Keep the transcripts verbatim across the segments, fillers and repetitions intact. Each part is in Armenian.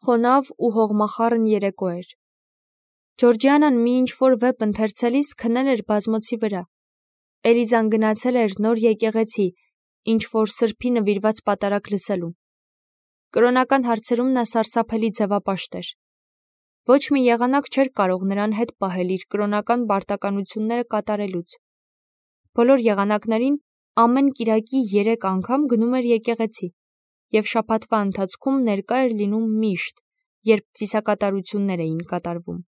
խոնավ ու հողմախառն երեկո էր։ Ջորջիանան մի ինչ-որ վեպ ընթերցելիս քնել էր բազմոցի վրա։ Էլիզան գնացել էր նոր եկեղեցի, ինչ-որ սրբի նվիրված պատարագ լսելու։ Կրոնական հարցերում նա սարսափելի ձևապաշտ էր։ Ոչ մի եղանակ չէր կարող նրան հետ պահել իր կրոնական պարտականությունները կատարելուց։ Բոլոր եղանակներին ամեն կիրակի երեք անգամ գնում էր եկեղեցի և շաբաթվա ընթացքում ներկա էր լինում միշտ, երբ ծիսակատարություններ էին կատարվում։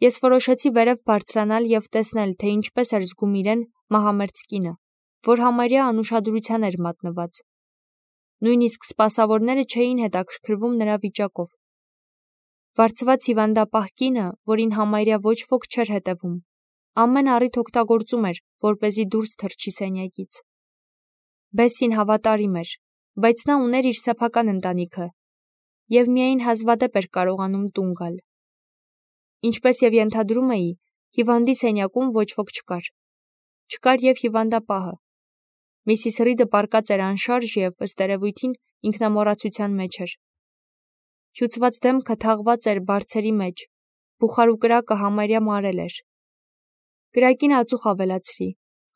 Ես որոշեցի վերև բարձրանալ և տեսնել, թե ինչպես էր զգում իրեն մահամերձ կինը, որ համարյա անուշադրության էր մատնված։ Նույնիսկ սպասավորները չէին հետաքրքրվում նրա վիճակով։ Վարձված հիվանդապահ կինը, որին համարյա ոչ ոք չէր հետևում, ամեն առիթ օգտագործում էր, որպեսզի դուրս թռչի սենյակից։ Բեսսին հավատարիմ էր, բայց նա ուներ իր սեփական ընտանիքը և միայն հազվադեպ էր կարողանում տուն գալ։ Ինչպես և ենթադրում էի, հիվանդի սենյակում ոչ ոք չկար։ Չկար և հիվանդապահը։ Միսիս Ռիդը պառկած էր անշարժ և, ըստ երևույթին, ինքնամոռացության մեջ էր։ Հյուծված դեմքը թաղված էր բարձերի մեջ, բուխար ու կրակը համարյա մարել էր։ Կրակին ածուխ ավելացրի,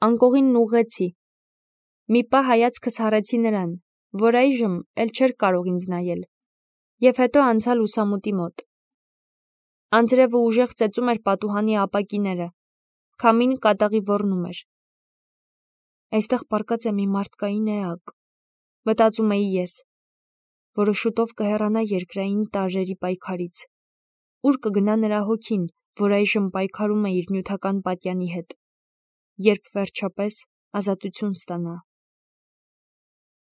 անկողինն ուղղեցի։ Մի պահ հայացքս հառեցի նրան, որ այժմ էլ չէր կարող ինձ նայել, և հետո անցա լուսամուտի մոտ։ Անձրևը ուժեղ ծեծում էր պատուհանի ապակիները, քամին կատաղի ոռնում էր։ Այստեղ պառկած է մի մարդկային էակ, մտածում էի ես, որը շուտով կհեռանա երկրային տարրերի պայքարից։ Ուր կգնա նրա հոգին, որ այժմ պայքարում է իր նյութական պատյանի հետ, երբ վերջապես ազատություն ստանա։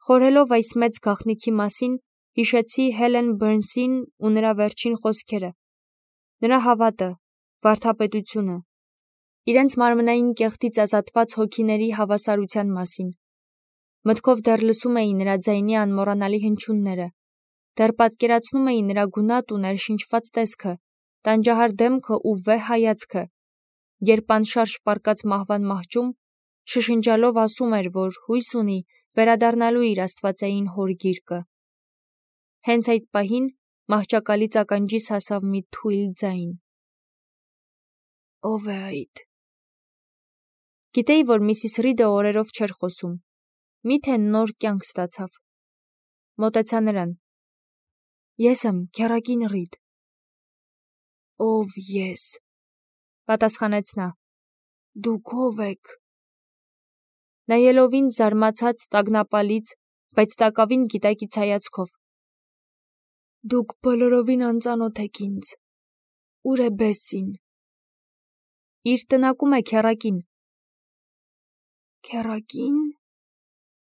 Խորհելով այս մեծ գաղտնիքի մասին, հիշեցի Հելեն Բըրնսին ու նրա վերջին խոսքերը, նրա հավատը, վարդապետությունը, իրենց մարմնային կեղտից ազատված հոգիների հավասարության մասին։ Մտքով դեռ լսում էի նրա ձայնի անմոռանալի հնչյունները, դեռ պատկերացնում էի նրա գունատ ու ներշնչված տեսքը, տանջահար դեմքը ու վեհ հայացքը, երբ անշարժ պառկած մահվան մահճում, շշնջալով ասում էր, որ հույս ունի վերադառնալու իր աստվածային հոր գիրկը։ Հենց այդ պահին մահճակալից ականջիս հասավ մի թույլ ձայն. «Ո՞վ է այդ»։ Գիտեի, որ միսիս Ռիդը օրերով չէր խոսում։ Մի՞թե նոր կյանք ստացավ։ Մոտեցա նրան. «Ես եմ, քեռակին Ռիդ»։ «Ով ես», պատասխանեց նա։ «Դուք ո՞վ եք»։ Նայելով ինձ զարմացած, տագնապալից, բայց տակավին գիտակից հայացքով։ «Դուք բոլորովին անծանոթ եք ինձ։ Ո՞ւր է Բեսսին»։ «Իր տնակում է, քեռակին»։ «Քեռակի՞ն»,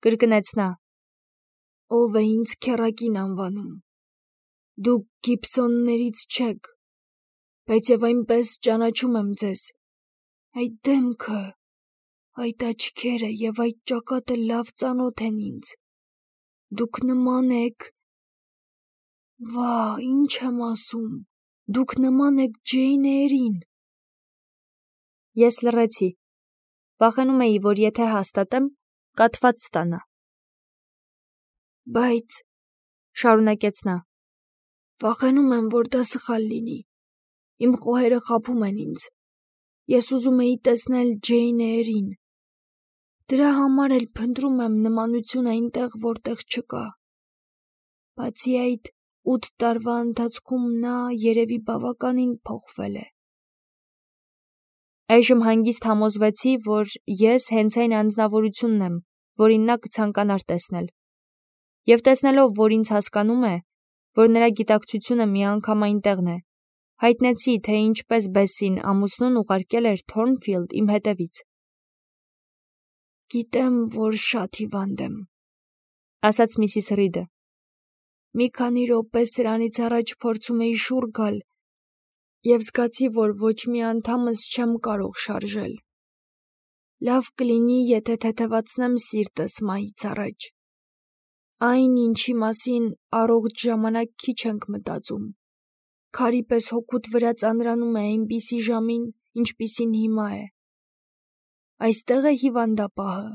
կրկնեց նա։ «Ով է ինձ քեռակին անվանում։ Դուք Գիբսոններից չեք, բայց և այնպես ճանաչում եմ ձեզ։ Այդ դեմքը, այդ աչքերը և այդ ճակատը լավ ծանոթ են ինձ։ Դուք նման եք… Վա՜, ինչ եմ ասում… Դուք նման եք Ջեյն Էյրին»։ Ես լռեցի։ Վախենում էի, որ եթե հաստատեմ, կաթված ստանա։ «Բայց», շարունակեց նա, «վախենում եմ, որ դա սխալ լինի։ Իմ խոհերը խաբում են ինձ։ Ես ուզում էի տեսնել Ջեյն Էյրին։ Դրա համար էլ փնտրում եմ նմանություն այնտեղ, որտեղ չկա։ Բացի այդ, ութ տարվա ընթացքում նա երևի բավականին փոխվել է»։ Այժմ հանգիստ համոզվեցի, որ ես հենց այն անձնավորությունն եմ, որին նա կցանկանար տեսնել։ Եվ տեսնելով, որ ինձ հասկանում է, որ նրա գիտակցությունը միանգամայն տեղն է, հայտնեցի, թե ինչպես Բեսսին ամուսնուն ուղարկել էր Թորնֆիլդ իմ հետևից։ «Գիտեմ, որ շատ հիվանդ եմ», ասաց միսիս Ռիդը։ «Մի քանի րոպե սրանից առաջ փորձում էի շուռ գալ և զգացի, որ ոչ մի անդամս չեմ կարող շարժել։ Լավ կլինի, եթե թեթևացնեմ սիրտս մահից առաջ։ Այն, ինչի մասին առողջ ժամանակ քիչ ենք մտածում, քարի պես հոգուդ վրա ծանրանում է այնպիսի ժամին, ինչպիսին հիմա է։ Այստե՞ղ է հիվանդապահը։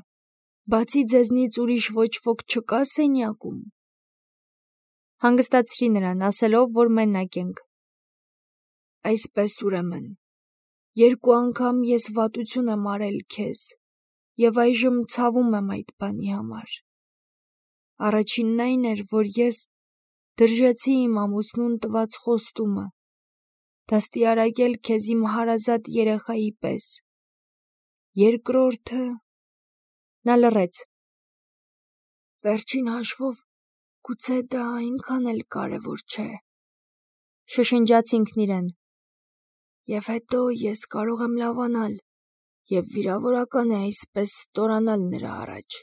Բացի ձեզնից ուրիշ ոչ ոք չկա սենյակում»։ Հանգստացրի նրան, ասելով, որ մենակ ենք։ Այսպես ուրեմն, երկու անգամ ես վատություն եմ արել քեզ, եւ այժմ ցավում եմ այդ բանի համար։ Առաջինն այն էր, որ ես դրժեցի իմ ամուսնուն տված խոստումը, դաստիարակել քեզ իմ հարազատ երեխայի պես։ Երկրորդը… Նա լռեց։ Վերջին հաշվով, գուցե դա այնքան էլ կարևոր չէ, շշնջաց ինքն իրեն։ Եվ հետո ես կարող եմ լավանալ, եւ վիրավորական է այսպես ստորանալ նրա առաջ։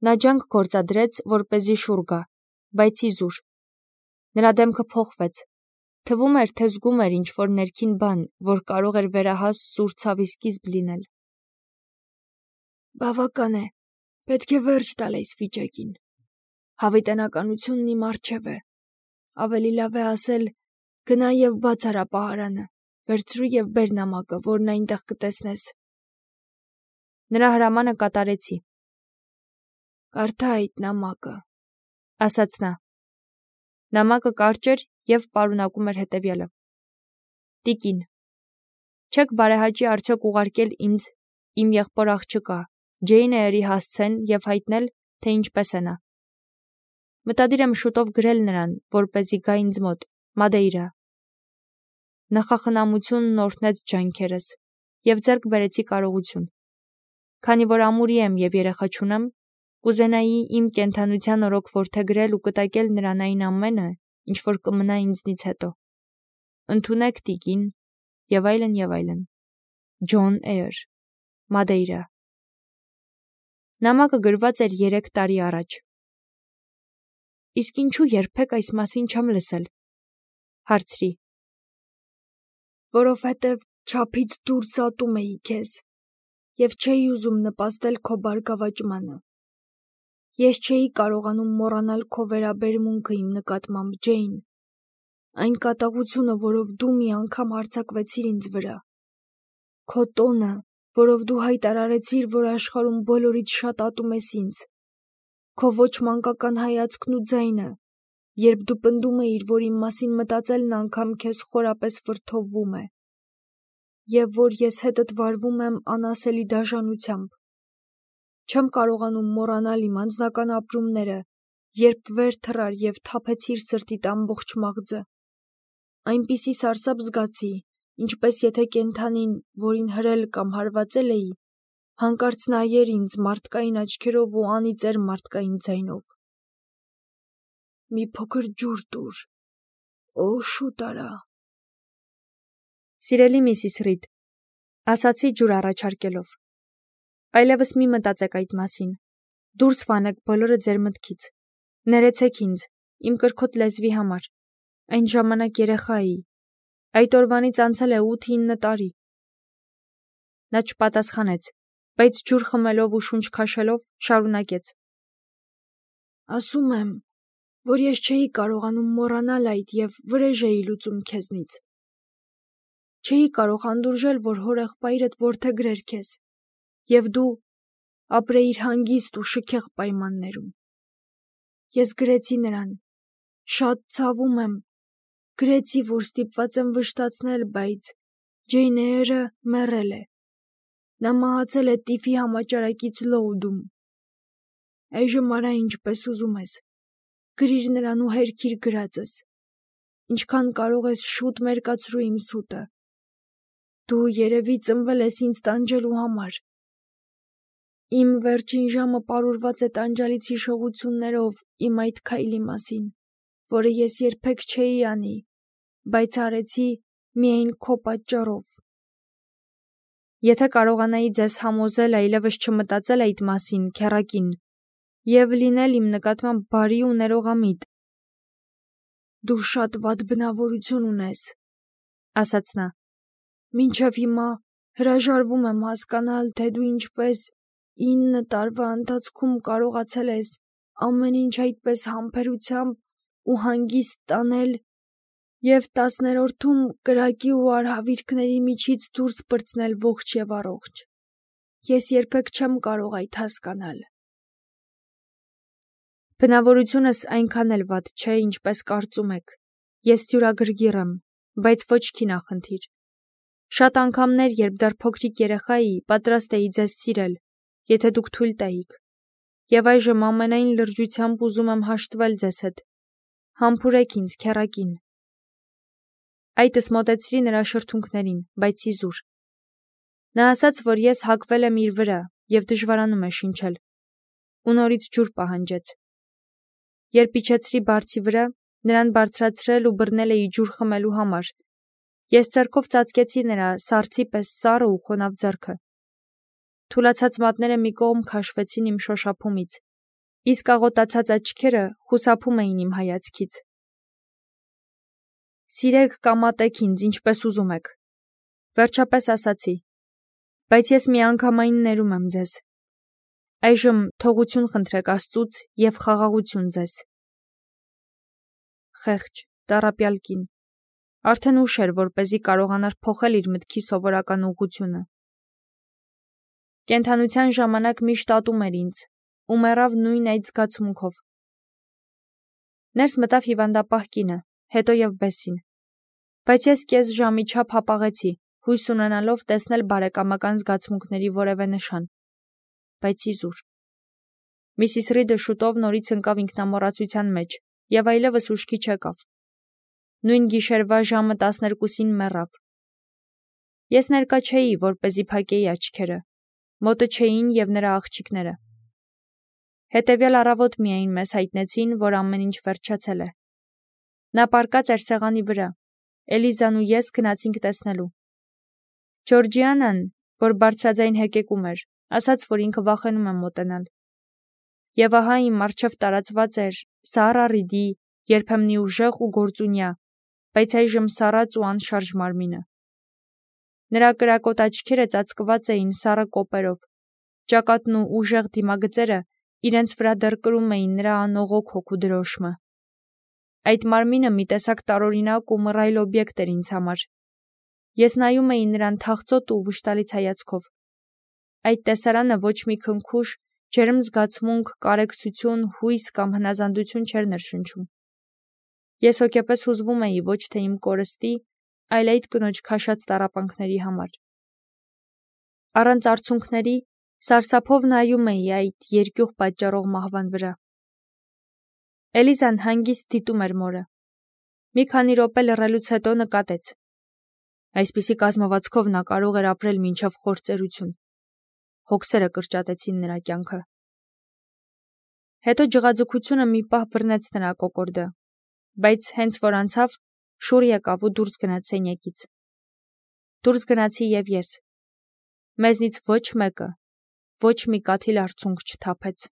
Նա ջանք գործադրեց, որպեսզի շուռ գա, բայց իզուր։ Նրա դեմքը փոխվեց։ Թվում էր, թե զգում էր ինչ-որ ներքին բան, որ կարող էր վերահաս սուր ցավի սկիզբ լինել։ Բավական է, պետք է վերջ տալ այս վիճակին։ Հավիտենականությունն իմ առջև է։ Ավելի լավ է ասել, գնա եւ բաց արա պահարանը, վերցրու եւ բեր նամակը, որն այնտեղ կտեսնես։ Նրա հրամանը կատարեցի։ Կարդա այդ նամակը, ասաց նա։ Նամակը կարճ էր եւ պարունակում էր հետեւյալը. Տիկին, չեք բարեհաճի արդյոք ուղարկել ինձ իմ եղբոր աղջկա Ջեյն Էյրի հասցեն եւ հայտնել, թե ինչպես է նա։ Մտադիր եմ շուտով գրել նրան, որպեսզի գա ինձ մոտ, Մադեյրա։ Նախախնամությունն օրհնեց ջանքերս եւ ձեռք բերեցի կարողություն։ Քանի որ ամուրի եմ եւ երեխա չունեմ, կուզենայի իմ կենդանության օրոք որդեգրել ու կտակել նրան այն ամենը, ինչ որ կմնա ինձնից հետո։ Ընդունեք տիկին եւ այլն եւ այլն։ Ջոն Էյր, Մադեյրա։ Նամակը գրված էր երեք տարի առաջ։ Իսկ ինչու երբեք այս մասին չեմ լսել։ Հարցրի։ Որովհետև չափից դուրս ատում էի քեզ եւ չէի ուզում նպաստել քո բարգավաճմանը։ Ես չէի կարողանում մոռանալ քո վերաբերմունքը իմ նկատմամբ, Ջեյն, այն կատաղությունը, որով դու մի անգամ հարձակվեցիր ինձ վրա, քո տոնը, որով դու հայտարարեցիր, որ աշխարհում բոլորից շատ ատում ես ինձ, քո ոչ մանկական հայացքն ու ձայնը, երբ դու պնդում էիր, որ իմ մասին մտածելն անգամ քեզ խորապես վրդովվում է, եւ որ ես հետդ վարվում եմ անասելի դաժանությամբ։ Չեմ կարողանում մոռանալ իմ անձնական ապրումները, երբ վեր թռար եւ թափեցիր սրտիդ ամբողջ մաղձը։ Այնպիսի սարսափ զգացի, ինչպես եթե կենդանին, որին հրել կամ հարվածել էի, հանկարծ նայեր ինձ մարդկային աչքերով ու անիծեր մարդկային ձայնով։ Մի փոքր ջուր տուր, օ, շուտ արա։ Սիրելի միսիս Ռիդ, ասացի ջուր առաջարկելով։ Այլևս մի մտածեք այդ մասին։ Դուրս վանեք բոլորը ձեր մտքից։ Ներեցեք ինձ, իմ կրքոտ լեզվի համար։ Այն ժամանակ երեխա էի։ Այդ օրվանից անցել է ութ-ինը տարի։ Նա չպատասխանեց, բայց ջուր խմելով ու շունչ քաշելով շարունակեց. Ասում եմ, որ ես չէի կարողանում մոռանալ այդ եւ վրեժ էի լուծում քեզնից։ Չէի կարող հանդուրժել, որ հորեղբայրդ որդեգրեր քեզ, եւ դու ապրեիր հանգիստ ու շքեղ պայմաններում։ Ես գրեցի նրան. շատ ցավում եմ, գրեցի, որ ստիպված եմ վշտացնել, բայց Ջեյն Էյրը մեռել է։ Նա մահացել է տիֆի համաճարակից Լոուդում։ Այժմ արա ինչպես ուզում ես։ Գրիր նրան ու հերքիր գրածս։ Ինչքան կարող ես շուտ մերկացրու իմ սուտը։ Դու երևի ծնվել ես ինձ տանջելու համար։ Իմ վերջին ժամը պարուրված է տանջալից հիշողություններով իմ այդ քայլի մասին, որը ես երբեք չէի անի, բայց արեցի միայն քո պատճառով։ Եթե կարողանայի ձեզ համոզել այլևս չմտածել այդ մասին, քեռակին, եւ լինել իմ նկատմամբ բարի ու ներողամիտ։ Դու շատ վատ բնավորություն ունես, ասաց նա։ Մինչև հիմա հրաժարվում եմ հասկանալ, թե դու ինչպես ինը տարվա ընթացքում կարողացել ես ամեն ինչ այդպես համբերությամբ ու հանգիստ տանել եւ տասներորդում կրակի ու արհավիրքների միջից դուրս պրծնել ողջ եւ առողջ։ Ես երբեք չեմ կարող այդ հասկանալ։ Բնավորությունս այնքան էլ վատ չէ, ինչպես կարծում եք։ Ես թյուրագրգիռ եմ, բայց ոչ քինախնդիր։ Շատ անգամներ, երբ դեռ փոքրիկ երեխա էի, պատրաստ էի ձեզ սիրել, եթե դուք թույլ տայիք։ Եվ այժմ ամենայն լրջությամբ ուզում եմ հաշտվել ձեզ հետ։ Համբուրեք ինձ, քեռակին։ Այդս մոտեցրի նրա շրթունքներին, բայց իզուր։ Նա ասաց, որ ես հակվել եմ իր վրա և դժվարանում է շնչել։ Ու նորից ջուր պահանջեց։ Երբ իջեցրի բարձի վրա, նրան բարձրացրել ու բռնել էի ջուր խմելու համար, ես ձեռքով ծածկեցի նրա սառցի պես սառը ու խոնավ ձեռքը։ Թուլացած մատները մի կողմ քաշվեցին իմ շոշափումից, իսկ աղոտացած աչքերը խուսափում էին իմ հայացքից։ Սիրեք կամ ատեք ինձ, ինչպես ուզում եք, վերջապես ասացի, բայց ես միանգամայն ներում եմ ձեզ։ Այժմ թողություն խնդրեք Աստծուց և խաղաղություն ձեզ։ Խեղճ, տառապյալ կին, արդեն ուշ էր, որպեսզի կարողանար փոխել իր մտքի սովորական ուղղությունը։ Կենդանության ժամանակ միշտ ատում էր ինձ ու մեռավ նույն այդ զգացմունքով։ Ներս մտավ հիվանդապահ կինը, հետո և Բեսին։ Բայց ես կես ժամի չափ հապաղեցի, հույս ունենալով տեսնել բարեկամական զգացմունքների որևէ նշան։ Բայց իզուր։ Միսիս Ռիդը շուտով նորից ընկավ ինքնամոռացության մեջ և այլևս ուշքի չեկավ։ Նույն գիշերվա ժամը տասներկուսին մեռավ։ Ես ներկա չէի, որպեսզի փակեի աչքերը, մոտը չէին և նրա աղջիկները։ Հետևյալ առավոտ միայն մեզ հայտնեցին, որ ամեն ինչ վերջացել է։ Նա պառկած էր սեղանի վրա, Էլիզան ու ես գնացինք տեսնելու։ Ջորջիանան, որ բարձրաձայն հեկեկում էր, ասաց, որ ինքը վախենում է մոտենալ։ Եվ ահա իմ առջև տարածված էր Սառա Ռիդի երբեմնի ուժեղ ու գործունյա, բայց այժմ սառած ու անշարժ մարմինը։ Նրա կրակոտ աչքերը ծածկված էին սառը կոպերով, ճակատն ու ուժեղ դիմագծերը իրենց վրա դեռ կրում էին նրա անողոք հոգու դրոշմը։ Այդ մարմինը մի տեսակ տարօրինակ ու մռայլ օբյեկտ էր ինձ համար։ Ես նայում էի նրան թախծոտ ու վշտալից հայացքով։ Այդ տեսարանը ոչ մի քնքուշ, ջերմ զգացմունք, կարեկցություն, հույս կամ հնազանդություն չէր ներշնչում։ Ես հոգեպես հուզվում էի ոչ թե իմ կորստի, այլ այդ կնոջ քաշած տառապանքների համար։ Առանց արցունքների, սարսափով նայում էի այդ երկյուղ պատճառող մահվան վրա։ Էլիզան հանգիստ դիտում էր մորը։ Մի քանի րոպե լռելուց հետո նկատեց. այսպիսի կազմվածքով նա կարող էր ապրել մինչև խոր ծերություն։ Հոգսերը կրճատեցին նրա կյանքը։ Հետո ջղաձգությունը մի պահ բռնեց նրա կոկորդը, բայց հենց որ անցավ, շուռ եկավ ու դուրս գնաց սենյակից։ Դուրս գնացի և ես։ Մեզնից ոչ մեկը ոչ մի կաթիլ արցունք չթափեց։